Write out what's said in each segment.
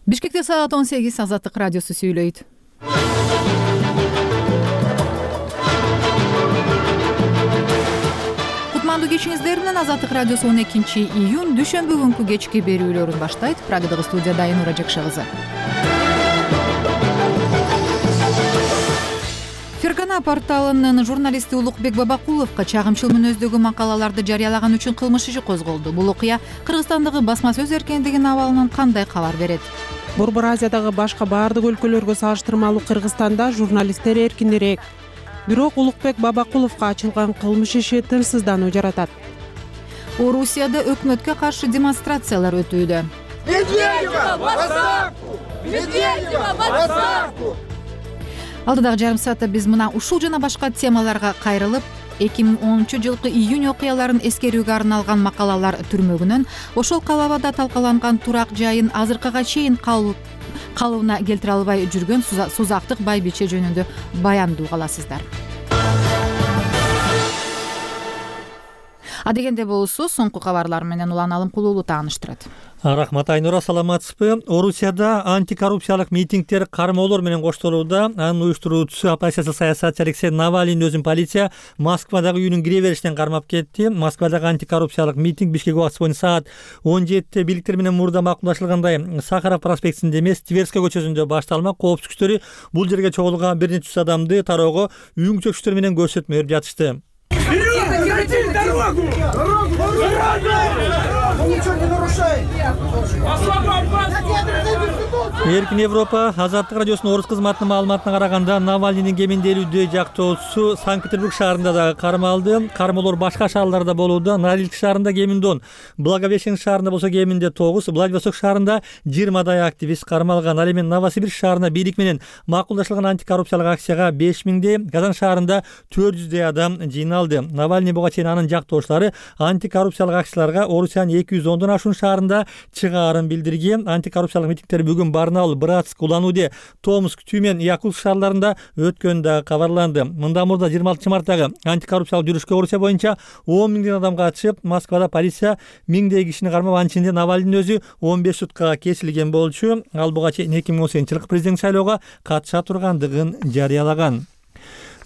Бишкекте саат 18 Азаттык радиосу сүйлөйт. Кутмандуу кечиңиздер менен Азаттык радиосу 12-июнь дүйшөмбү күнкү кечки берүүлөрүн баштайт. Прагадагы студияда Айнура Жакшы кызы. Фергана порталынын журналисти Улукбек Бабакуловго чагымчыл мүнөздөгү макалаларды жарыялаган үчүн кылмыш иши козголду. Бул окуя Кыргызстандагы басма сөз эркиндигинин абалынан кандай кабар берет? Борбор Азиядагы башка баардык өлкөлөргө салыштырмалуу Кыргызстанда журналисттер эркинирээк. Бирок Улукбек Бабакуловго ачылган кылмыш иши тынчсыздануу жаратат. Орусияда өкмөткө каршы демонстрациялар өтүүдө. Медведева в отставку! Медведева в отставку! Алдыдагы жарым саатта биз мына ушул жана башка темаларга кайрылып, 2010-жылкы июнь окуяларын эскерүүгө арналган макалалар түрмөгүнөн ошол калабада талкаланган турак жайын азыркыга чейин калыбына келтире албай жүргөн Сузактык Байбиче жөнүндө баяндуу каласыздар. Адегенде болсо соңку кабарлар менен Улан Алымкулуулу тааныштырат. Рахмат Айнура, саламатсызбы? Орусияда антикоррупциялык митингдер кармоолор менен коштолууда. Анын уюштуруучусу оппозициялык саясатчы Алексей Навалийдин өзүн полиция Москвадагы үйүнүн кире беришинен кармап кетти. Москвадагы антикоррупциялык митинг Бишкек убактысы боюнча саат 17-те бийликтер менен мурда макулдашылгандай Сахаров проспектисинде эмес, Тверская көчөсүндө башталмак. Коопсуздук күчтөрү бул жерге чогулган бир нече жүз адамды тароого үйүң чөкчүктөр менен көрсөтмө берип жатышты. Эркин Европа Азаттык радиосунун орус кызматынын маалыматына караганда Навалийдин кеминде 50 жактоочусу Санкт-Петербург шаарында дагы кармалды. Кармоолор башка шаарларда болууда. Норильск шаарында кеминде 10, Благовещенск шаарында болсо кеминде 9, Владивосток шаарында 20 активист кармалган. Ал эми Новосибирск шаарына бийлик менен макулдашылган антикоррупциялык акцияга 5000, Казан шаарында 400 адам жыйналды. Навалий буга чейин анын жактоочулары антикоррупциялык акцияларга Орусиянын 210дон ашуун шаарында чыгаарын билдирген. Антикоррупциялык митингдер бүгүн Барнаул, Братск, Улан-Удэ, Томск, Тюмень, Якутск шаарларында өткөнү да кабарланды. Мындан мурда 26 марттагы антикоррупциялык жүрүшкө Орусия боюнча 10 миңден адам катышып, Москвада полиция миңдей кишини кармап, анын ичинде Навалийдин өзү 15 суткага кесилген болчу. Ал буга чейин 2018-жылкы президент шайлоого катыша тургандыгын жарыялаган.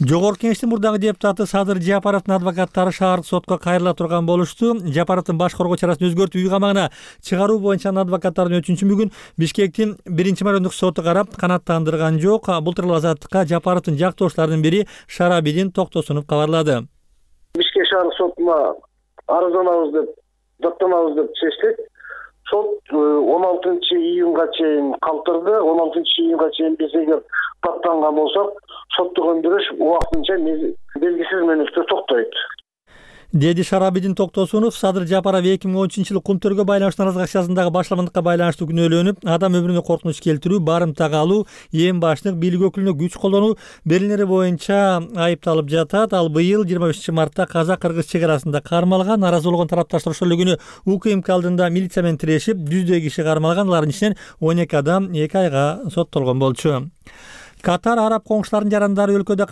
Жогорку кеңештин мурдагы депутаты Садыр Жапаровдун адвокаттары шаардык сотко кайрыла турган болушту. Жапаровдун баш коргоо чарасын өзгөртүп үй камагына чыгаруу боюнча адвокаттардын өтүнүчүн бүгүн Бишкектин 1-райондук соту карап канааттандырган жок. Бул тууралуу Азаттыкка Жапаровдун жактоочуларынын бири Шарабидин Токтосунов кабарлады. Бишкек шаардык сотуна арызданабыз деп, даттанабыз деп чечтик. Сот 16-июнга чейин калтырды. 16-июнга чейин биз эгер даттанган болсок, соттук өндүрүш убактынча белгисиз мөөнөткө токтойт, деди Шарабидин Токтосунов. Садыр Жапаров 2013-жылы Кумтөргө байланыштуу наразылык акциясындагы башламандыкка байланыштуу күнөөлөнүп, адам өмүрүнө коркунуч келтирүү, барымтага алуу, эң башындык бийлик өкүлүнө күч колдонуу берилери боюнча айыпталып жатат. Ал быйыл 25-мартта казак-кыргыз чек арасында кармалган. Наразы болгон тарапташтар ошол эле күнү УКМК алдында милиция менен тирешип, 100 киши кармалган. Алардын ичинен 12 адам 2 айга соттолгон болчу. Катар араб коңшуларынын жарандары өлкөдө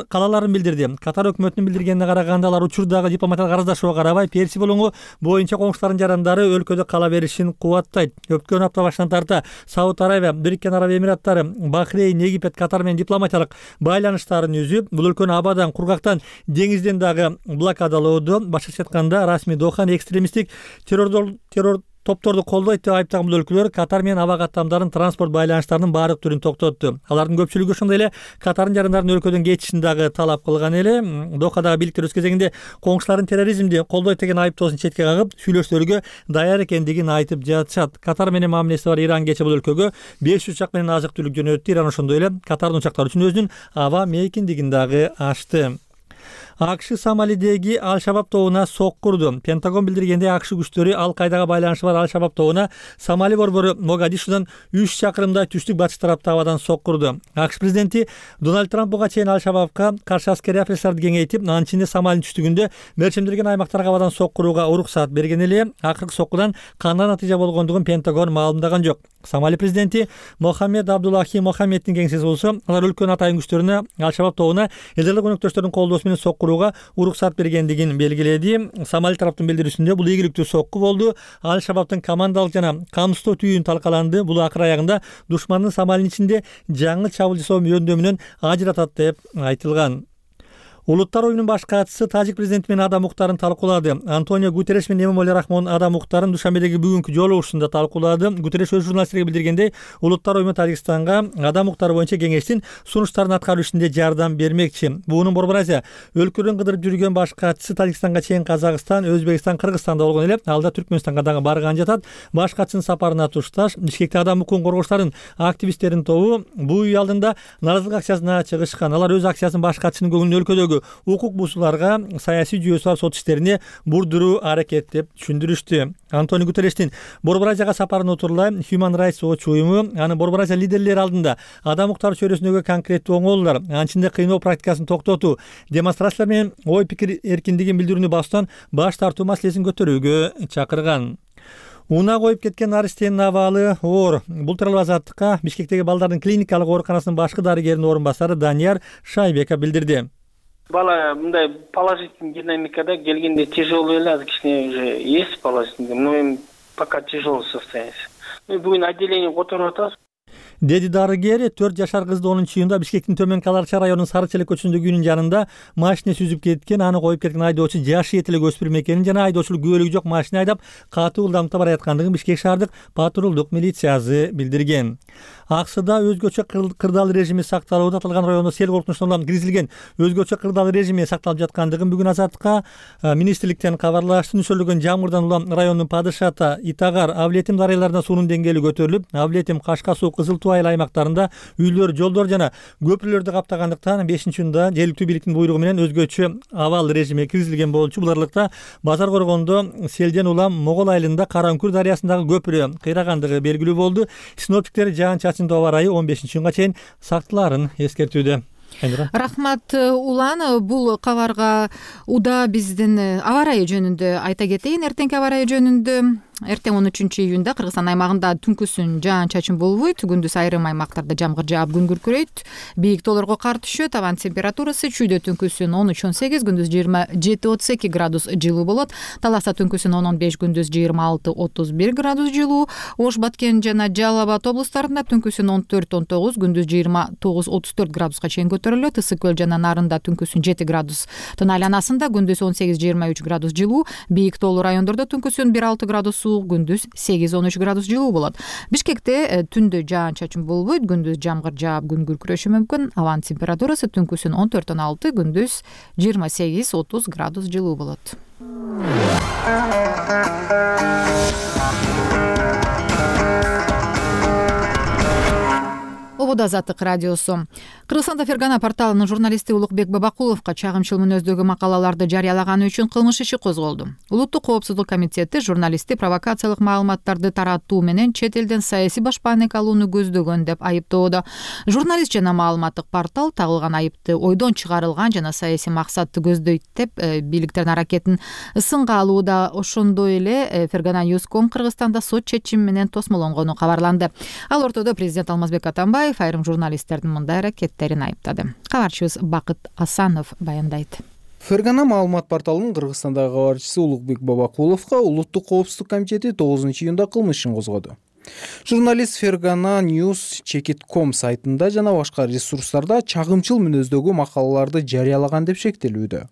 калаларын билдирди. Катар өкмөтүнүн билдиргенине караганда, алар учурдагы дипломатиялык арыздашууга карабай Персия болуңу боюнча коңшуларынын жарандары өлкөдө кала беришин кубаттайт. Өткөн апта башынан тарта Сауд Арабия, Бириккен Араб Эмираттары, Бахрейн, Египет, Катар менен дипломатиялык байланыштарын үзүп, бул өлкөнү абадан, кургактан, деңизден дагы блокадалоодо, башкача айтканда расмий Доханы экстремисттик террор топторду колдойт деп айыптаган бул өлкөлөр Катар менен аба каттамдарын, транспорт байланыштарынын баардык түрүн токтотту. Алардын көпчүлүгү ошондой эле Катардын жарандарын өлкөдөн кетишин дагы талап кылган эле. Дохадагы бийликтер өз кезегинде коңшуларын терроризмди колдойт деген айыптоосун четке кагып, сүйлөшүүлөргө даяр экендигин айтып жатышат. Катар менен мамилеси бар Иран кечээ бул өлкөгө 500 учак менен азык түлүк жөнөттү. Иран ошондой эле Катардын учактары үчүн өзүнүн аба мейкиндигин дагы ачты. АКШ Сомалидеги Ал-Шабаб тобуна сокку урду. Пентагон билдиргенде АКШ күчтөрү Ал-Кайдага байланышы бар Ал-Шабаб тобуна Сомали борбору Могадишудан 3 чакырымдай түштүк батыш тарапта абадан сокку урду. АКШ президенти Дональд Трамп буга чейин Ал-Шабабка каршы аскерий операцияларды кеңейтип, анын ичинде Сомалинин түштүгүндө мерчемделген аймактарга абадан сокку урууга уруксаат берген эле. Акыркы соккудан кандай натыйжа болгондугун Пентагон маалымдаган жок. Сомали президенти Мохаммед Абдуллахи Мохаммеддин кеңсеси болсо, алар өлкөнүн атайын күчтөрүнө Ал-Шабаб тобуна элдерлик өнөктөштөрдүн колдоосу менен сокку курууга уруксат бергендигин белгиледи. Сомали тараптын билдирүүсүндө бул ийгиликтүү сокку болду. Аль-Шабабтын командалык жана камсыздоо түйүн талкаланды. Бул акыр аягында душмандын Сомалинин ичинде жаңы чабуул жасоо жөндөмүнөн ажыратат деп айтылган. Улуттар оюнунун баш катчысы Тажик президенти менен адам укуктарын талкуулады. Антонио Гутерреш менен Эмомали Рахмон адам укуктарын Душанбедеги бүгүнкү жолугушуусунда талкуулады. Гутерреш өз журналисттерге билдиргендей, улуттар оюну Тажикстанга адам укуктары боюнча кеңештин сунуштарын аткаруу ишинде жардам бермекчи. Буунун Борбор Азия өлкөлөрүн кыдырып жүргөн баш катчысы Тажикстанга чейин Казакстан, Өзбекстан, Кыргызстанда болгон эле, алда Түркмөнстанга дагы барган жатат. Баш катчынын сапарына тушташ Бишкекте адам укугун коргоочулардын активисттеринин тобу бул үй алдында нааразылык акциясына чыгышкан. Алар өз акциясын баш катчынын көңүлүн өлкөдөгү укук бузууларга, саясий жүйөсү бар сот иштерине бурдуруу аракет деп түшүндүрүштү. Антонио Гутеррештин Борбор Азияга сапарын утурлай Human Rights Watch уюму аны Борбор Азия лидерлери алдында адам укуктары чөйрөсүндөгү конкреттүү оңолуулар, анчында кыйноо практикасын токтотуу, демонстрациялар менен ой пикир эркиндигин билдирүүнү басуудан баш тартуу маселесин көтөрүүгө чакырган. Уна коюп кеткен Аристенин абалы оор. Бул тууралуу Азаттыкка Бишкектеги балдардын клиникалык ооруканасынын башкы дарыгеринин орун басары Данияр Шайбеков билдирди. Бала мындай положительный динамикада келгенде тяжело эле, азыр кичине уже есть положительный, но эми пока тяжелое состояние. Бүгүн отделение которуп атабыз. Деди дарыгер 4 жашар кызды 10-июнда Бишкектин Төмөнкү Аларча районунун Сары Челек көчөсүндөгү үйүнүн жанында машинеси үзүп кеткен, аны коюп кеткен айдоочу жашы жетелек өспүрүм экенин жана айдоочулук күбөлүгү жок машина айдап катуу ылдамдыкта бараткандыгын Бишкек шаардык патрулдук милициясы билдирген. Аксыда өзгөчө кырдаал режими сакталууда. Аталган райондо сел коркунучуна киргизилген өзгөчө кырдаал режими сакталып жаткандыгын бүгүн Азаттыкка министрликтен кабарлашты. Нөсөрлөгөн жамгырдан улам райондун Падышата, Итагар, Авлетим дарыяларында суунун деңгээли көтөрүлүп, Авлетим, Кашка суу, Кызыл Туу айыл аймактарында үйлөр, жолдор жана көпүрлөрдү каптагандыктан 5-июнда жергиликтүү бийликтин буйругу менен өзгөчө абал режими киргизилген болчу. Бул аралыкта Базар Коргондо селден улам Могол айылында Караүңкүр дарыясындагы көпүрө кыйрагандыгы белгилүү болду. Синоптиктер жаан-чачындуу аба ырайы 15-июнга чейин сактылаарын эскертүүдө. Рахмат Улан, бул кабарга уда биздин аба ырайы жөнүндө айта кетейин. Эртеңки аба ырайы жөнүндө эртең 13-июнда Кыргызстан аймагында түнкүсүн жаан-чачын болбойт, күндүз айрым аймактарда жамгыр жаап күн күркүрөйт, бийик тоолорго кар түшөт, абанын температурасы чүйдө түнкүсүн 13-18, күндүз 27-32 градус жылуу болот. Таласта түнкүсүн 10-15, күндүз 26-31 градус жылуу. Ош, Баткен жана Жалал Абад облустарында түнкүсүн 14-19, күндүз 29-34 градуска чейин көтөрүлөт. Ысык көл жана Нарында түнкүсүн 7 градустун айланасында, күндүз 18-23 градус жылуу. Бийик тоолуу райондордо түнкүсүн 1-6 градус, күндүз 8-13 градус жылуу болот. Бишкекте түндө жаан-чачын болбойт, күндүз жамгыр жаап күн күркүрөшү мүмкүн. Абанын температурасы түнкүсүн 14-16, күндүз 28-30 градус жылуу болот. Обод Азаттык радиосу. Кыргызстанда Фергана порталынын журналисти Улукбек Бабакуловго чагымчыл мүнөздөгү макалаларды жарыялаганы үчүн кылмыш иши козголду. Улуттук коопсуздук комитети журналистти провокациялык маалыматтарды таратуу менен чет элден саясий башпаанек алууну көздөгөн деп айыптоодо. Журналист жана маалыматтык портал тагылган айыпты ойдон чыгарылган жана саясий максатты көздөйт деп бийликтердин аракетин сынга алууда. Ошондой эле Фергана News.com Кыргызстанда сот чечими менен тосмолонгону кабарланды. Ал ортодо президент Алмазбек Атамбаев айрым журналисттердин мындай аракеттерин айыптады. Кабарчыбыз Бакыт Асанов баяндайт. Фергана маалымат порталынын Кыргызстандагы кабарчысы Улукбек Бабакуловго Улуттук коопсуздук комитети 9-июнда кылмыш ишин козгоду. Журналист Фергана News.com сайтында жана башка ресурстарда чагымчыл мүнөздөгү макалаларды жарыялаган деп шектелүүдө.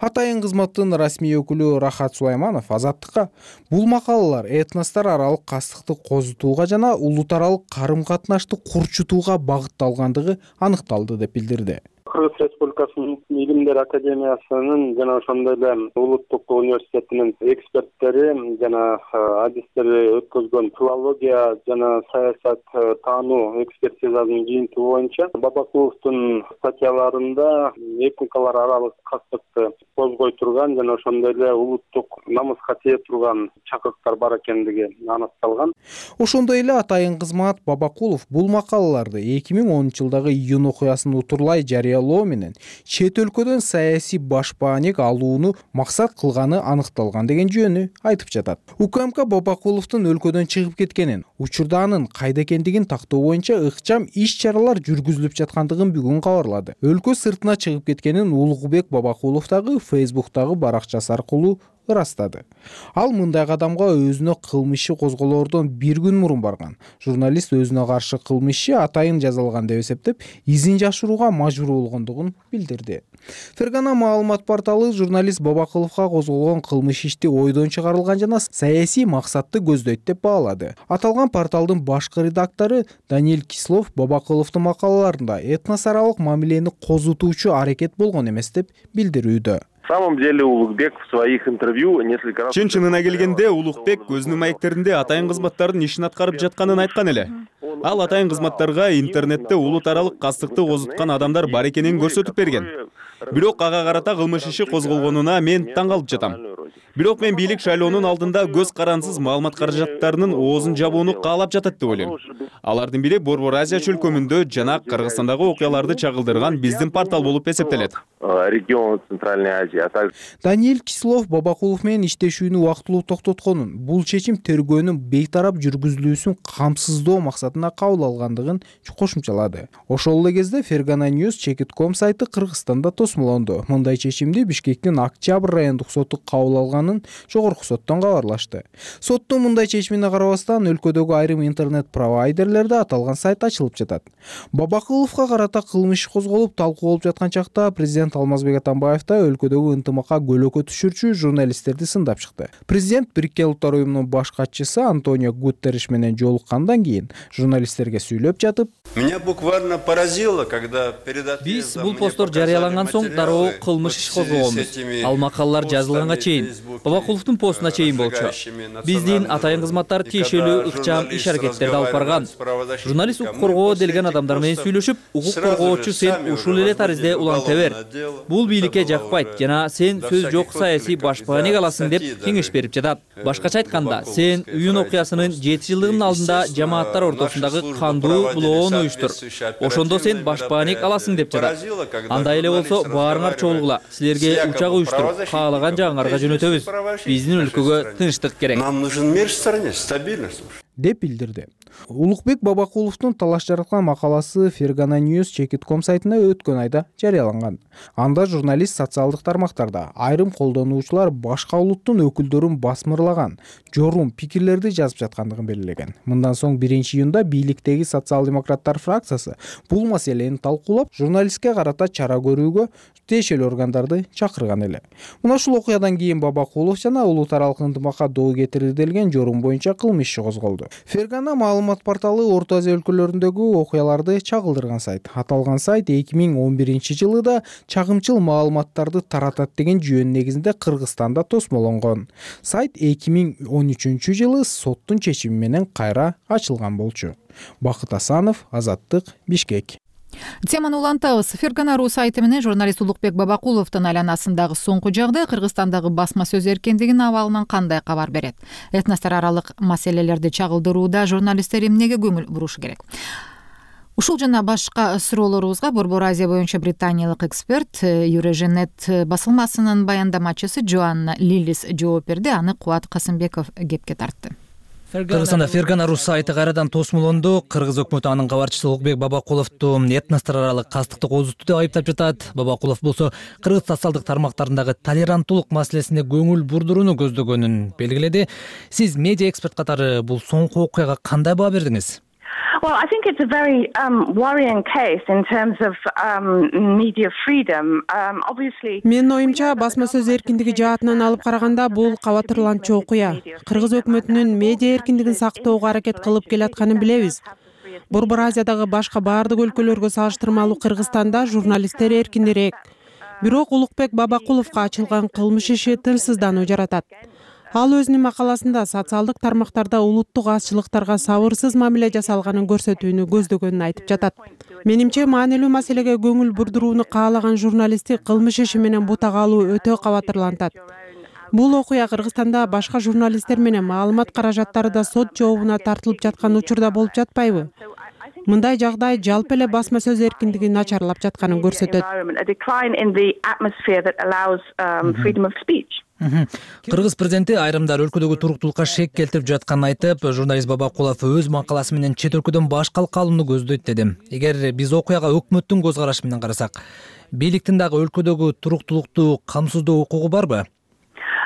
Атайын кызматтын расмий өкүлү Рахат Сулайманов Азаттыкка бул макалалар этностор аралык кастыкты козутууга жана улут аралык карым-катнашты курчутууга багытталгандыгы аныкталды деп билдирди. Кыргыз Республикасынын Илимдер академиясынын жана ошондой эле Улуттук университетинин эксперттери жана адистери өткөзгөн филология жана саясат таануу экспертизасынын жыйынтыгы боюнча Бабакуловдун статьяларында этникалар аралык кастыкты козгой турган жана ошондой эле улуттук намыска тие турган чакырыктар бар экендиги аныкталган. Ошондой эле атайын кызмат Бабакулов бул макалаларды 2010-жылдагы июнь окуясын утурлай жарыялоо талоо менен чет өлкөдөн саясий башпаанек алууну максат кылганы аныкталган деген жөнү айтып жатат. УКМК Бабакуловдун өлкөдөн чыгып кеткенин, учурда анын кайда экендигин тактоо боюнча ыкчам иш-чаралар жүргүзүлүп жаткандыгын бүгүн кабарлады. Өлкө сыртына чыгып кеткенин Улукбек Бабакулов дагы Фейсбуктагы баракчасы аркылуу ырастады. Ал мындай кадамга өзүнө кылмыш иши козголоордон бир күн мурун барган. Журналист өзүнө каршы кылмыш иши атайын жазалган деп эсептеп, изин жашырууга мажбур болгондугун билдирди. Фергана маалымат порталы журналист Бабакуловго козголгон кылмыш ишти ойдон чыгарылган жана саясий максатты көздөйт деп баалады. Аталган порталдын башкы редактору Даниэль Кислов Бабакуловдун макалаларында этнос аралык мамилени козутуучу аракет болгон эмес деп билдирүүдө. На самом деле Улукбек в своих интервью несколько раз... Чын-чынына келгенде Улукбек өзүнүн маектеринде атайын кызматтардын ишин аткарып жатканын айткан эле. Ал атайын кызматтарга интернетте улут аралык кастыкты козуткан адамдар бар экенин көрсөтүп берген. Бирок ага карата кылмыш иши козголгонуна мен таң калып жатам. Бирок мен бийлик шайлоонун алдында көз карансыз маалымат каражаттарынын оозун жабууну каалап жатат деп ойлойм. Алардын бири Борбор Азия чөлкөмүндө жана Кыргызстандагы окуяларды чагылдырган биздин портал болуп эсептелет. Регион Центральной Азии. Даниэль Кислов Бабакулов менен иштешүүнү убактылуу токтотконун, бул чечим тергөөнүн бейтарап жүргүзүлүүсүн камсыздоо максатында кабыл алгандыгын кошумчалады. Ошол эле кезде Фергана News Chekit.com сайты Кыргызстанда тосмолонду. Мындай чечимди Бишкектин Октябрь райондук соту кабыл алганын жогорку соттон кабарлашты. Соттун мындай чечимине карабастан өлкөдөгү айрым интернет провайдерлерде аталган сайт ачылып жатат. Бабакуловго карата кылмыш козголуп талкуу болуп жаткан чакта президент Алмазбек Атамбаев да өлкөдөгү ынтымакка көлөкө түшүрчү журналисттерди сындап чыкты. Президент Бириккен Улуттар уюмунун баш катчысы Антонио Гутерриш менен жолуккандан кийин журналисттерге сүйлөп жатып, меня буквально поразило, когда перед биз бул посттор жарыяланган соң дароо кылмыш иш козгогонбуз. Ал макалалар жазылганга чейин, Бабакуловдун постуна чейин болчу. Биздин атайын кызматтар тиешелүү ыкчам иш аракеттерди алып барган. Журналист укук коргоо делген адамдар менен сүйлөшүп, укук коргоочу сен ушул эле таризде уланта бер. Бул бийликке жакпайт жана сен сөз жок саясий башпаанек аласың деп кеңеш берип жатат. Башкача айтканда, сен уюн окуясынын 7 жылдыгынын алдында жамааттар ортосундагы кандуу булоону уюштур. Ошондо сен башпаанек аласың деп жатат. Андай эле болсо баарыңар чогулгула. Силерге учак уюштуруп, каалаган жагыңарга жөнөтөбүз. Биздин өлкөгө тынчтык керек. Нам нужен мир в стране, стабильность деп билдирди. Улукбек Бабакуловдун талаш жараткан макаласы Фергана News Chekit.com сайтына өткөн айда жарыяланган. Анда журналист социалдык тармактарда айрым колдонуучулар башка улуттун өкүлдөрүн басмырлаган, жорум пикирлерди жазып жаткандыгын белгилеген. Мындан соң 1-июнда бийликтеги социал-демократтар фракциясы бул маселени талкуулап, журналистке карата чара көрүүгө тиешелүү органдарды чакырган эле. Мына ушул окуядан кийин Бабакулов жана улут аралык ынтымакка доо кетирди делген жорум боюнча кылмыш иши козголду. Фергана маалымат порталы Орто Азия өлкөлөрүндөгү окуяларды чагылдырган сайт. Аталган сайт 2011-жылы чагымчыл маалыматтарды таратат деген жөн негизинде Кыргызстанда тосмолонгон. Сайт 2013-жылы соттун чечими менен кайра ачылган болчу. Бакыт Асанов, Азаттык, Бишкек. Теманы улантабыз. Фергана.ру сайты менен журналист Улукбек Бабакуловдун айланасындагы соңку жагдай Кыргызстандагы басма сөз эркиндигинин абалынан кандай кабар берет? Этностор аралык маселелерди чагылдырууда журналисттер эмнеге көңүл бурушу керек? Ушул жана башка суроолорубузга Борбор Азия боюнча британиялык эксперт Юреженет басылмасынын баяндамачысы Джоанна Лилис жооп берди. Аны Кубат Касымбеков кепке тартты. Кыргызстанда Фергана.ру сайты кайрадан тосмолонду. Кыргыз өкмөтү анын кабарчысы Улукбек Бабакуловду этностор аралык кастыкты козутту деп айыптап жатат. Бабакулов болсо кыргыз социалдык тармактарындагы толеранттуулук маселесине көңүл бурдурууну көздөгөнүн белгиледи. Сиз медиа эксперт катары бул соңку окуяга кандай баа бердиңиз? Well, I think it's a very worrying case in terms of media freedom. Obviously, Менин оюмча, басма сөз эркиндиги жаатынан алып караганда бул кабатырланчу окуя. Кыргыз өкмөтүнүн медиа эркиндигин сактоого аракет кылып келатканын билебиз. Борбор Азиядагы башка баардык өлкөлөргө салыштырмалуу Кыргызстанда журналисттер эркиндирээк. Бирок Улукбек Бабакуловго ачылган кылмыш иши тынчсыздануу жаратат. Ал өзүнүн макаласында социалдык тармактарда улуттук азчылыктарга сабырсыз мамиле жасалганын көрсөтүүнү көздөгөнүн айтып жатат. Менимче, маанилүү маселеге көңүл бурдурууну каалаган журналистти кылмыш иши менен бутага алуу өтө кабатырлантат. Бул окуя Кыргызстанда башка журналисттер менен маалымат каражаттары да сот жообуна тартылып жаткан учурда болуп жатпайбы? мындай жагдай жалпы эле басма сөз эркиндиги начарлап жатканын көрсөтөт. Кыргыз президенти айрымдар өлкөдөгү туруктуулукка шек келтирип жатканын айтып, журналист Бабакулов өз макаласы менен чет өлкөдөн баш калкалууну көздөйт деди. Эгер биз окуяга өкмөттүн көз карашы менен карасак, бийликтин дагы өлкөдөгү туруктуулукту камсыздоо укугу барбы?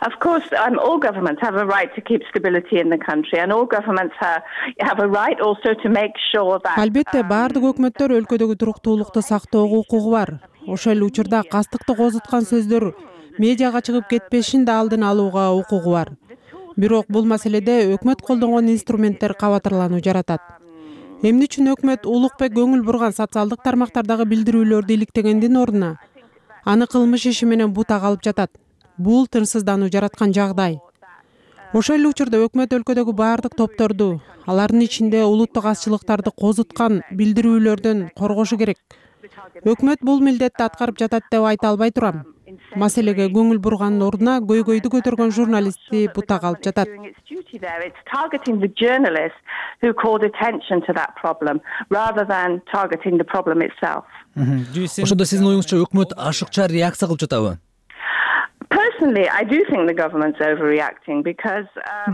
Of course, all governments have a right to keep stability in the country, and all governments have a right also to make sure that. Албетте, баардык өкмөттөр өлкөдөгү туруктуулукту сактоого укугу бар. Ошол эле учурда кастыкты козуткан сөздөр медиага чыгып кетпешин да алдын алууга укугу бар. Бирок бул маселеде өкмөт колдонгон инструменттер кабатырлануу жаратат. Эмне үчүн өкмөт Улукбек көңүл бурган социалдык тармактардагы билдирүүлөрдү иликтегендин ордуна аны кылмыш иши менен бутак алып жатат? Бул тынчсыздануу жараткан жагдай. Ошол эле учурда өкмөт өлкөдөгү баардык топторду, алардын ичинде улуттук азчылыктарды козуткан билдирүүлөрдөн коргошу керек. Өкмөт бул милдетти аткарып жатат деп айта албай турам. Маселеге көңүл бургандын ордуна көйгөйдү көтөргөн журналистти бутак алып жатат. Ошондо сиздин оюңузча өкмөт ашыкча реакция кылып жатабы?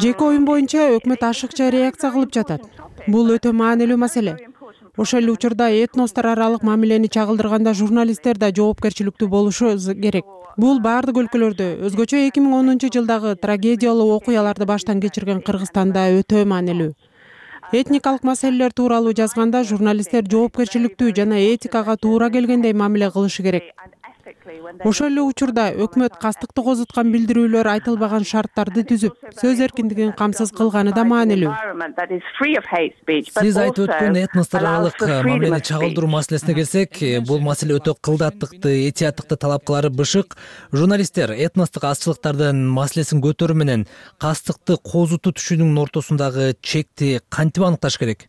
Жеке оюм боюнча өкмөт ашыкча реакция кылып жатат. Бул өтө маанилүү маселе. Ошол эле учурда этностор аралык мамилени чагылдырганда журналисттер да жоопкерчиликтүү болушу керек. Бул баардык өлкөлөрдө, өзгөчө 2010-жылдагы трагедиялуу окуяларды баштан кечирген Кыргызстанда өтө маанилүү. Этникалык маселелер тууралуу жазганда журналисттер жоопкерчиликтүү жана этикага туура келгендей мамиле кылышы керек. Ошол эле учурда өкмөт кастыкты козуткан билдирүүлөр айтылбаган шарттарды түзүп, сөз эркиндигин камсыз кылганы да маанилүү. Сиз айтып өткөн этностор аралык мамилени чагылдыруу маселесине келсек, бул маселе өтө кылдаттыкты, этияттыкты талап кылары бышык. Журналисттер этностук азчылыктардын маселесин көтөрүү менен кастыкты козутуу түшүнүүнүн ортосундагы чекти кантип аныкташ керек?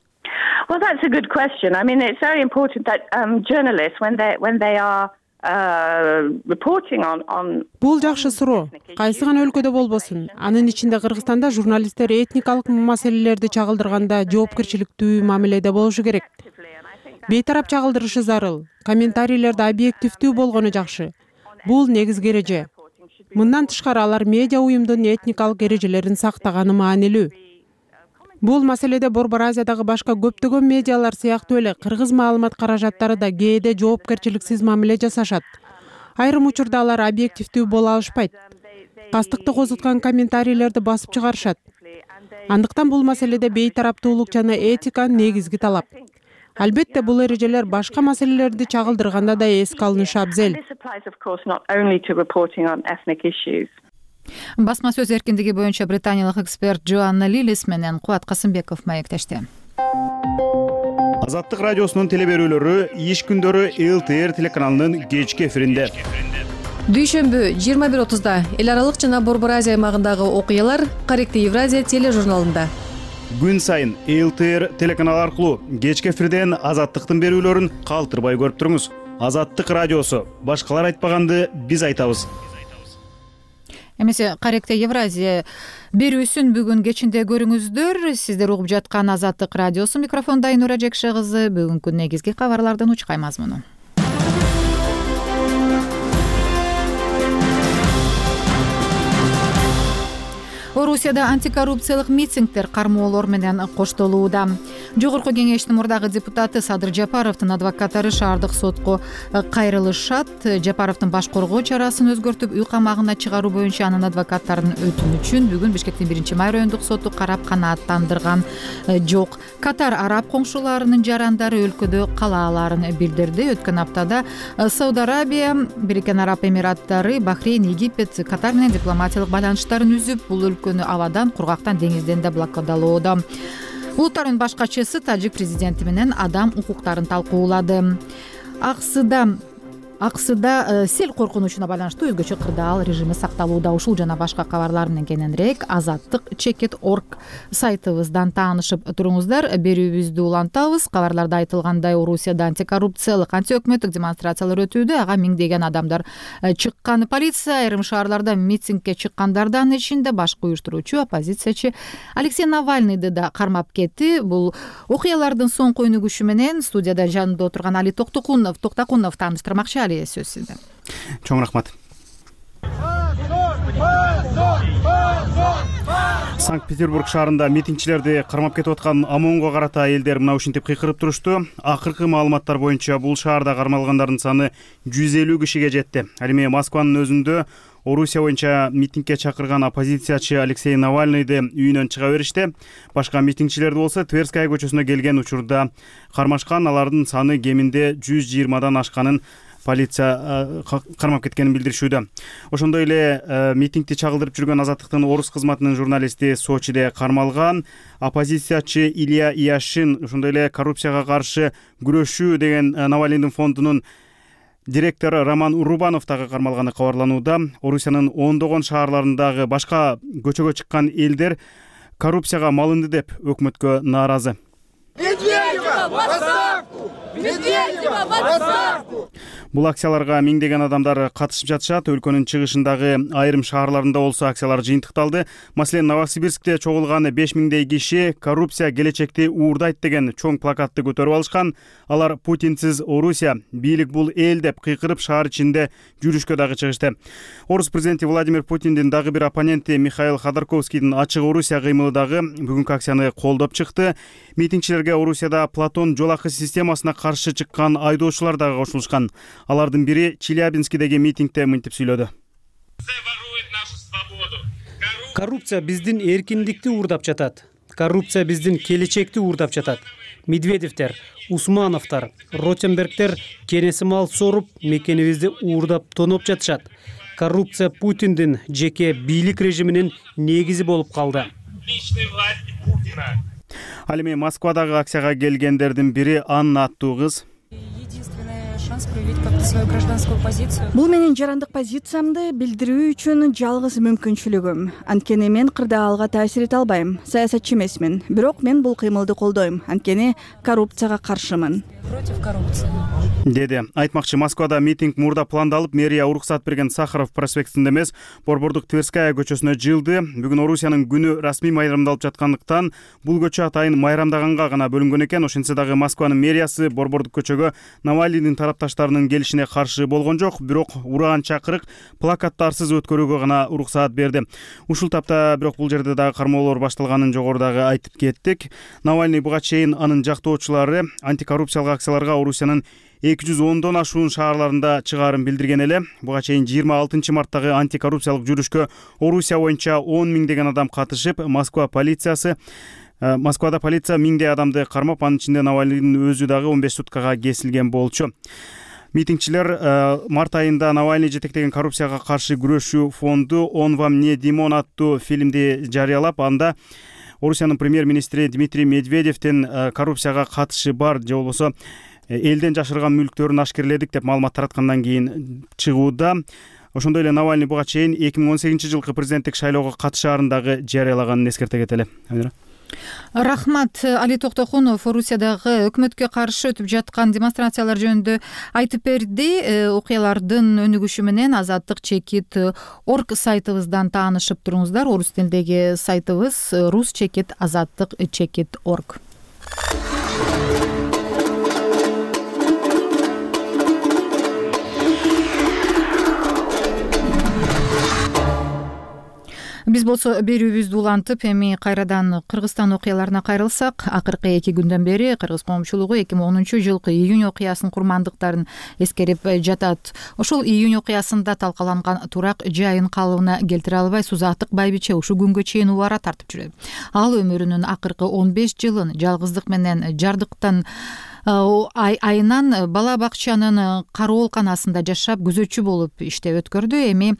Well, that's a good question. I mean, it's very important that journalists, when they are Бул жакшы суроо. Кайсы гана өлкөдө болбосун, анын ичинде Кыргызстанда журналисттер этникалык маселелерди чагылдырганда жоопкерчиликтүү мамиледе болушу керек. Бейтарап чагылдырышы зарыл, комментарийлерди объективдүү болгону жакшы. Бул негизги эреже. Мындан тышкары алар медиа уюмдун этникалык эрежелерин сактаганы маанилүү. Бул маселеде Борбор Азиядагы башка көптөгөн медиалар сыяктуу эле кыргыз маалымат каражаттары да кээде жоопкерчиликсиз мамиле жасашат. Айрым учурда алар объективдүү боло алышпайт. Кастыкты козуткан комментарийлерди басып чыгарышат. Андыктан бул маселеде бейтараптуулук жана этика негизги талап. Албетте бул эрежелер башка маселелерди чагылдырганда да эске алынышы абзел. Басма сөз эркиндиги боюнча британиялык эксперт Джоанна Лилис менен Кубат Касымбеков маектешти. Азаттык радиосунун телеберүүлөрү иш күндөрү ЛТР телеканалынын кечки эфиринде. Дүйшөмбү 21:30 эл аралык жана Борбор Азия аймагындагы окуялар Каректи Евразия тележурналында. Күн сайын ЛТР телеканалы аркылуу кечки эфирден Азаттыктын берүүлөрүн калтырбай көрүп туруңуз. Азаттык радиосу. Башкалар айтпаганды биз айтабыз. Эмесе Каректе Евразия берүүсүн бүгүн кечинде көрүңүздөр. Сиздер угуп жаткан Азаттык радиосу, микрофонда Айнура Жекше кызы. Бүгүнкү негизги кабарлардын учкай мазмуну. Орусияда антикоррупциялык митингдер кармоолор менен коштолууда. Жогорку кеңештин мурдагы депутаты Садыр Жапаровдун адвокаттары шаардык сотко кайрылышат. Жапаровдун баш коргоо чарасын өзгөртүп, үй камагына чыгаруу боюнча анын адвокаттарынын өтүнүчүн бүгүн Бишкектин 1-май райондук соту карап канааттандырган жок. Катар араб коңшуларынын жарандары өлкөдө калааларын билдирди. Өткөн аптада Сауд Арабия, Бириккен Араб Эмираттары, Бахрейн, Египет, Катар менен дипломатиялык байланыштарын үзүп, бул өлкөнү абадан, кургактан, деңизден да блокадалоодо. Улуттардын баш катчысы тажик президенти менен адам укуктарын талкуулады. Аксыда АКСда сел коркунучуна байланыштуу өзгөчө кырдаал режими сакталууда. Ушул жана башка кабарлар менен кененирээк azattik.org сайтыбыздан таанышып туруңуздар. Берүүбүздү улантабыз. Кабарларда айтылгандай, Орусияда антикоррупциялык, антиөкмөттүк демонстрациялар өтүүдө. Ага миңдеген адамдар чыккан. Полиция айрым шаарларда митингге чыккандардан ичинде башкы уюштуруучу оппозициячы Алексей Навальныйды да кармап кетти. Бул окуялардын соңку өнүгүшү менен студияда жанымда отурган Али Токтакунов тааныштырмакчы. Сөз сизде. Чоң рахмат. Санкт-Петербург шаарында митингчилерди кармап кетип аткан ОМОНго карата элдер мына ушинтип кыйкырып турушту. Акыркы маалыматтар боюнча бул шаарда кармалгандардын саны 150 кишиге жетти. Ал эми Москванын өзүндө Орусия боюнча митингге чакырган оппозициячы Алексей Навальныйды үйүнөн чыга беришти. Башка митингчилерди болсо Тверская көчөсүнө келген учурда кармашкан. Алардын саны кеминде 120дан ашканын полиция кармап кеткенин билдиришүүдө. Ошондой эле митингди чагылдырып жүргөн Азаттыктын Орус кызматынын журналисти Сочиде кармалган. Оппозициячы Илья Яшин, ошондой эле коррупцияга каршы күрөшүү деген Навальныйдын фондунун директору Роман Урубанов дагы кармалганы кабарланууда. Орусиянын ондогон шаарларындагы башка көчөгө чыккан элдер коррупцияга малынды деп өкмөткө нааразы. Медведева в отставку! Медведева в отставку! Бул акцияларга миңдеген адамдар катышып жатышат. Өлкөнүн чыгышындагы айрым шаарларында болсо акциялар жыйынтыкталды. Маселен, Новосибирскте чогулган 5000 киши коррупция келечекти уурдайт деген чоң плакатты көтөрүп алышкан. Алар Путинсиз Орусия, бийлик бул эл деп кыйкырып шаар ичинде жүрүшкө дагы чыгышты. Орус президенти Владимир Путиндин дагы бир оппоненти Михаил Ходорковскийдин ачык Орусия кыймылы дагы бүгүнкү акцияны колдоп чыкты. Митингчилерге Орусияда Платон жол акы системасына каршы чыккан айдоочулар дагы кошулушкан. Алардын бири Челябинскидеги митингде мынтип сүйлөдү. Коррупция биздин эркиндикти уурдап жатат. Коррупция биздин келечекти уурдап жатат. Медведевтер, Усмановтар, Ротенбергтер кенеси мал соруп, мекенибизди уурдап тоноп жатышат. Коррупция Путиндин жеке бийлик режиминин негизи болуп калды. Ал эми Москвадагы акцияга келгендердин бири Анна аттуу кыз. Бул менин жарандык позициямды билдирүү үчүн жалгыз мүмкүнчүлүгүм. Анткени мен кырдаалга таасир эте албайм. Саясатчы эмесмин. Бирок мен бул кыймылды колдойм. Анткени коррупцияга каршымын. Против коррупции. Деди. Айтмакчы, Москвада митинг мурда пландалып, мэрия уруксат берген Сахаров проспектинде эмес, Борбордук Тверская көчөсүнө жылды. Бүгүн Орусиянын күнү расмий майрамдалып жаткандыктан бул көчө атайын майрамдаганга гана бөлүнгөн экен. Ошентсе дагы Москванын мэриясы Борбордук көчөгө Навальныйдын тарапташтарынын келишине каршы болгон жок, бирок ураган чакырык плакаттарсыз өткөрүүгө гана уруксаат берди. Ушул тапта бирок бул жерде дагы кармоолор башталганын жогорудагы айтып кеттик. Навальный буга чейин анын жактоочулары антикоррупциялык акцияларга Орусиянын 210дон ашуун шаарларында чыгаарын билдирген эле. Буга чейин 26 марттагы антикоррупциялык жүрүшкө Орусия боюнча 10 миңдеген адам катышып, Москвада полиция миңдей адамды кармап, анын ичинде Навальныйдын өзү дагы 15 суткага кесилген болчу. Митингчилер март айында Навальный жетектеген коррупцияга каршы күрөшүү фонду «Он вам не Димон» аттуу фильмди жарыялап, анда Орусиянын премьер-министри Дмитрий Медведевдин коррупцияга катышы бар же болбосо элден жашырган мүлктөрүн ашкерледик деп маалымат тараткандан кийин чыгууда. Ошондой эле Навальный буга чейин 2018-жылкы президенттик шайлоого катышаарын дагы жарыялаганын эскерте кетели. Рахмат. Али Токтокунов Орусиядагы өкмөткө каршы өтүп жаткан демонстрациялар жөнүндө айтып берди. Окуялардын өнүгүшү менен azattik.org сайтыбыздан таанышып туруңуздар. Орус тилиндеги сайтыбыз rus.azattik.org. Биз болсо берүүбүздү улантып, эми кайрадан Кыргызстан окуяларына кайрылсак, акыркы 2 күндөн бери Кыргыз коомчулугу 2010-жылкы июнь окуясынын курмандыктарын эскерип жатат. Ошол июнь окуясында талкаланган турак жайын калыбына келтире албай Сузатык байбиче ушул күнгө чейин убара тартып жүрөт. Ал өмүрүнүн акыркы 15 жылын жалгыздык менен жардыктан айынан бала бакчанын кароолканасында жашап, күзөтчү болуп иштеп өткөрдү. Эми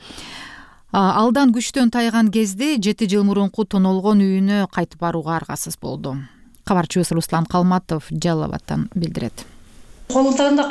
алдан күчтөн тайган кезде 7 жыл мурунку тонолгон үйүнө кайтып барууга аргасыз болду. Кабарчыбыз Руслан Калматов Жалал Абадтан билдирет. Колундарында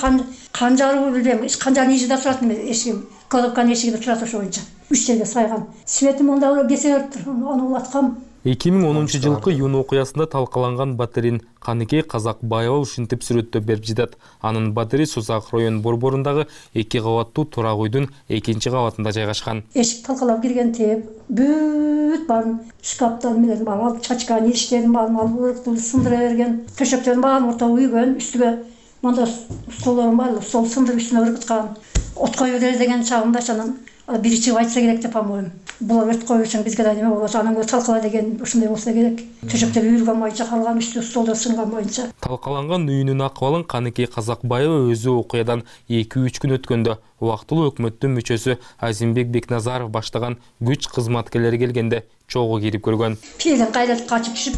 канжалыбы билбейм, канжанын ижиде турат эме эшигим, кладовканын эшигинде турат ошо боюнча. 3 жерге сайган. Светим онда кесеңип тур, аны улаткам. 2010 жылкы июнь окуясында талкаланган батирин Каныкей Казакбаева ушинтип сүрөттөп берип жатат. Анын батири Сузак район борборундагы 2 кабаттуу турак үйдүн 2-чи кабатында жайгашкан. Эшик талкалап киргентип, бүт баарын шкаптан менен алып чачкан иштерин баарын алып сындыра берген. Төшөктөрдүн баарын ортого үйгөн, үстүгө монда столдорун бар, стол сындырып үстүнө өргүткөн. От коюу деген чагымда анан бири чыгып айтса керек деп амоюм. Булар өрт коюу үчүн бизге да неме болот, анан талкала деген ушундай болсо керек. Төшөктөр үйүлгөн боюнча калган, үстү столдор сынган боюнча. Талкаланган үйүнүн акыбалын Каныкей Казакбаева өзү окуядан 2-3 күн өткөндө убактылуу өкмөттүн мүчөсү Азимбек Бекназаров баштаган күч кызматкерлери келгенде чогуу кирип көргөн. Пилден кайдатып качып түшүп,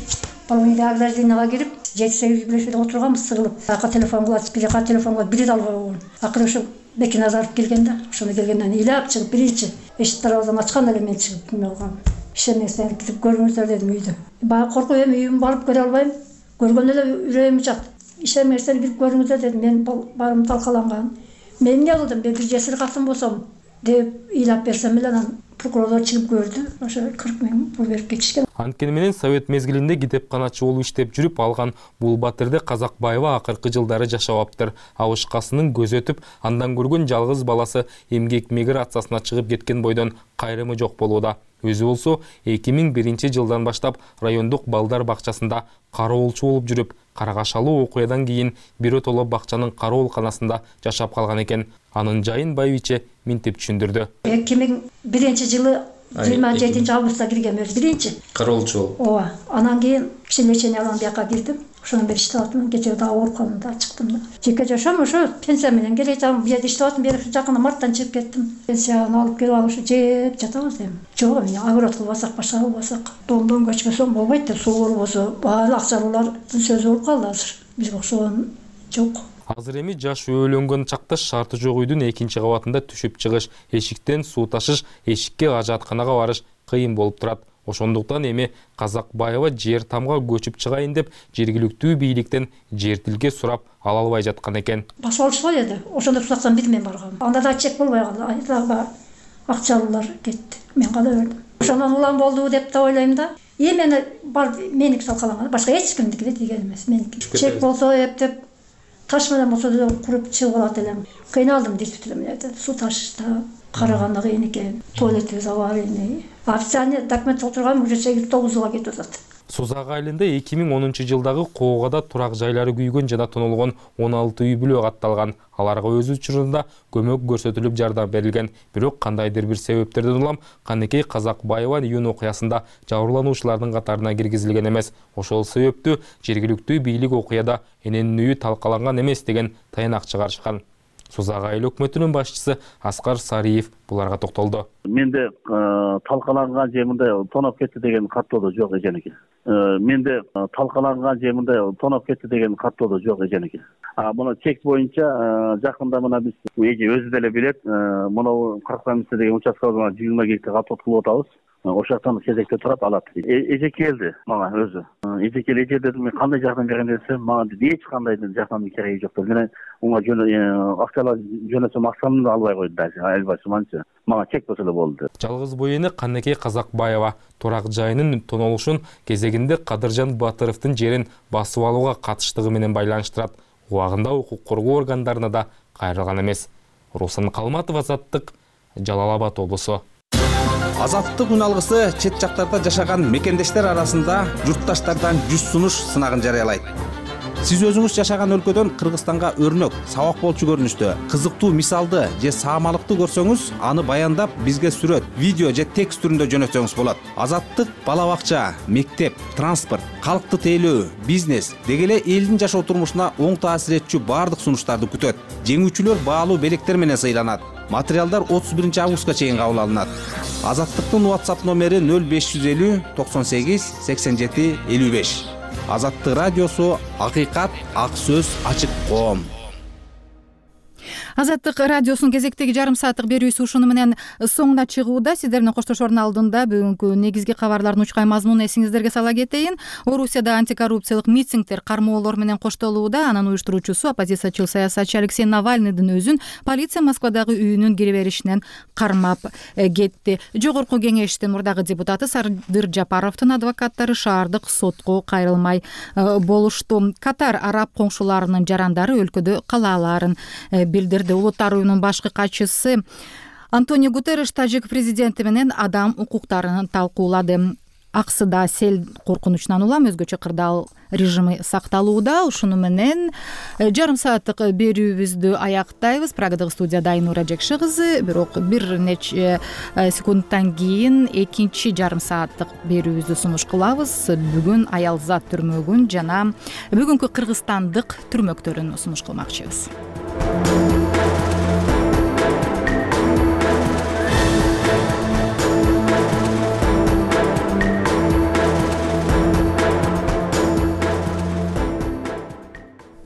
половойдо ограждениега кирип, 7-8 билешеде отурганбыз сыгылып. Ака телефон кылат, бирка телефонго билет албай койгон. Акыры ушу Бекназаров келгенде, ошону келгенден ыйлап чыгып биринчи эшик дарбазаны ачканда эле мен чыгып неме кылгам. Ишенмесеңер кирип көрүңүздөр дедим үйдү. Баягы коркуп эми үйүмдү барып көрө албайм. Көргөндө эле үрөйүм чакты. Ишенмесеңер кирип көрүңүздөр дедим. Мен барым талкаланган. Мен эмне кылдым? Мен бир жесир катын болсом деп ыйлап берсем эле анан прокурорлор чыгып көрдү. Ошо 40 000 пул берип кетишкен. Анткени менен совет мезгилинде китепканачы болуп иштеп жүрүп алган бул батирде Казакбаева акыркы жылдары жашабаптыр. Абышкасынын көзү өтүп, андан көргөн жалгыз баласы эмгек миграциясына чыгып кеткен бойдон кайрымы жок болууда. Өзү болсо 2001 жылдан баштап райондук балдар бакчасында кароолчу болуп жүрүп, карагашалуу окуядан кийин биротоло бакчанын кароолканасында жашап калган экен. Анын жайын байбиче минтип түшүндүрдү. 2001 жылы 27 августта киргем өзү биринчи. Кароолчу болуп. Ооба. Анан кийин лечение алган бияка кирдим. Ошондон бери иштеп атам. Кечээ дагы ооруп калдым да, чыктым да. Жеке жашоом ошо пенсия менен келе жатам. Бу жерде иштеп атам. Бери жакында марттан чыгып кеттим. Пенсияны алып келип алып жеп жатабыз эми. Жок, эми огород кылбасак, башка кылбасак, домдон көчпөсөм болбойт деп суу болсо, баары акчалуулардын сөзү болуп калды азыр. Бизге окшогон жок. Азыр эми жаш өөлөнгөн чакта шарты жок үйдүн 2-чи кабатында түшүп чыгыш, эшиктен суу ташыш, эшикке ажатканага барыш кыйын болуп турат. Ошондуктан эми Казакбаева жер тамга көчүп чыгайын деп жергиликтүү бийликтен жер тилке сурап ала албай жаткан экен. Басып алышпай эди. Ошондо сурасам бир мен баргам. Анда да чек болбой калды. Айдагы акчалуулар кетти. Мен кала бердим. Ошондон улам болду деп да ойлойм да. Мени бар меники талкаланган. Башка эч кимдики да тийген эмес. Меники. Чек болсо эптеп таш менен болсо да куруп чыгып алат элем. Кыйналдым действительно. Суу ташышта караганда кыйын экен. Туалетибиз аварийный. Официальный документ отурган уже 8-9 кетип атат. Сузак айылында 2010 жылдагы коогада турак жайлары күйгөн жана тонолгон 16 үй бүлө катталган. Аларга өз учурунда көмөк көрсөтүлүп жардам берилген. Бирок кандайдыр бир себептерден улам Каныкей Казакбаева июнь окуясында жабырлануучулардын катарына киргизилген эмес. Ошол себептүү жергиликтүү бийлик окуяда эненин үйү талкаланган эмес деген таянак чыгарышкан. Сузак айыл өкмөтүнүн башчысы Аскар Сариев буларга токтолду. Менде талкаланган же мындай тоноп кетти деген каттоодо жок эженики. Менде талкаланган же мындай тоноп кетти деген каттоодо жок эженики. Муну чек боюнча жакында мына биз эже өзү деле билет, муну 40 деген участкабызга 20 гектар каттоот кылып атабыз. Ошол жактан кезекте турат, алат. Эже келди мага өзү. Эже келди, эже дедим, мен кандай жардам берем десем, мага эч кандай жардамдын кереги жок деп. Мен унга акчалар жөнөсөм акчамды да албай койду даже. Албайсым анча. Мага чек болсо эле болду. Жалгыз боене Каныкей Казакбаева турак жайынын тонолушун кезегинде Кадыржан Батыровдун жерин басып алууга катыштыгы менен байланыштырат. Убагында укук коргоо органдарына да кайрылган эмес. Руслан Калматов, Азаттык, Жалал Абад облусу. Азаттык үн алгысы чет жактарда жашаган мекендештер арасында журтташтардан 100 сунуш сынагын жарыялайт. Сиз өзүңүз жашаган өлкөдөн Кыргызстанга өрнөк, сабак болчу көрүнүштө кызыктуу мисалды же саамалыкты көрсөңүз, аны баяндап бизге сүрөт, видео же текст түрүндө жөнөтсөңүз болот. Азаттык бала бакча, мектеп, транспорт, калкты тейлөө, бизнес деги эле элдин жашоо турмушуна оң таасир этчү баардык сунуштарды күтөт. Жеңүүчүлөр баалуу белектер менен сыйланат. Материалдар 31 августка чейин кабыл алынат. Азаттыктын WhatsApp номери 0550 98 87 55. Азаттык радиосу, акыйкат, ак сөз, ачык коом. Азаттык радиосунун кезектеги жарым сааттык берүүсү ушуну менен соңуна чыгууда. Сиздер менен коштошоордун алдында бүгүнкү негизги кабарлардын учкай мазмунун эсиңиздерге сала кетейин. Орусияда антикоррупциялык митингдер кармоолор менен коштолууда. Анын уюштуруучусу оппозициячыл саясатчы Алексей Навальныйдын өзүн полиция Москвадагы үйүнүн кире беришинен кармап кетти. Жогорку кеңештин мурдагы депутаты Садыр Жапаровдун адвокаттары шаардык сотко кайрылмай болушту. Катар араб коңшуларынын жарандары өлкөдө калааларын билдирди. Улуттар уюмунун башкы катчысы Антонио Гутерриш тажик президенти менен адам укуктарын талкуулады. Аксыда сел коркунучунан улам өзгөчө кырдаал режими сакталууда. Ушуну менен жарым сааттык берүүбүздү аяктайбыз. Прагадагы студияда Айнура Жекши кызы. Бирок бир нече секундтан кийин экинчи жарым сааттык берүүбүздү сунуш кылабыз. Бүгүн Аялзат түрмөгүн жана бүгүнкү кыргызстандык түрмөктөрүн сунуш кылмакчыбыз.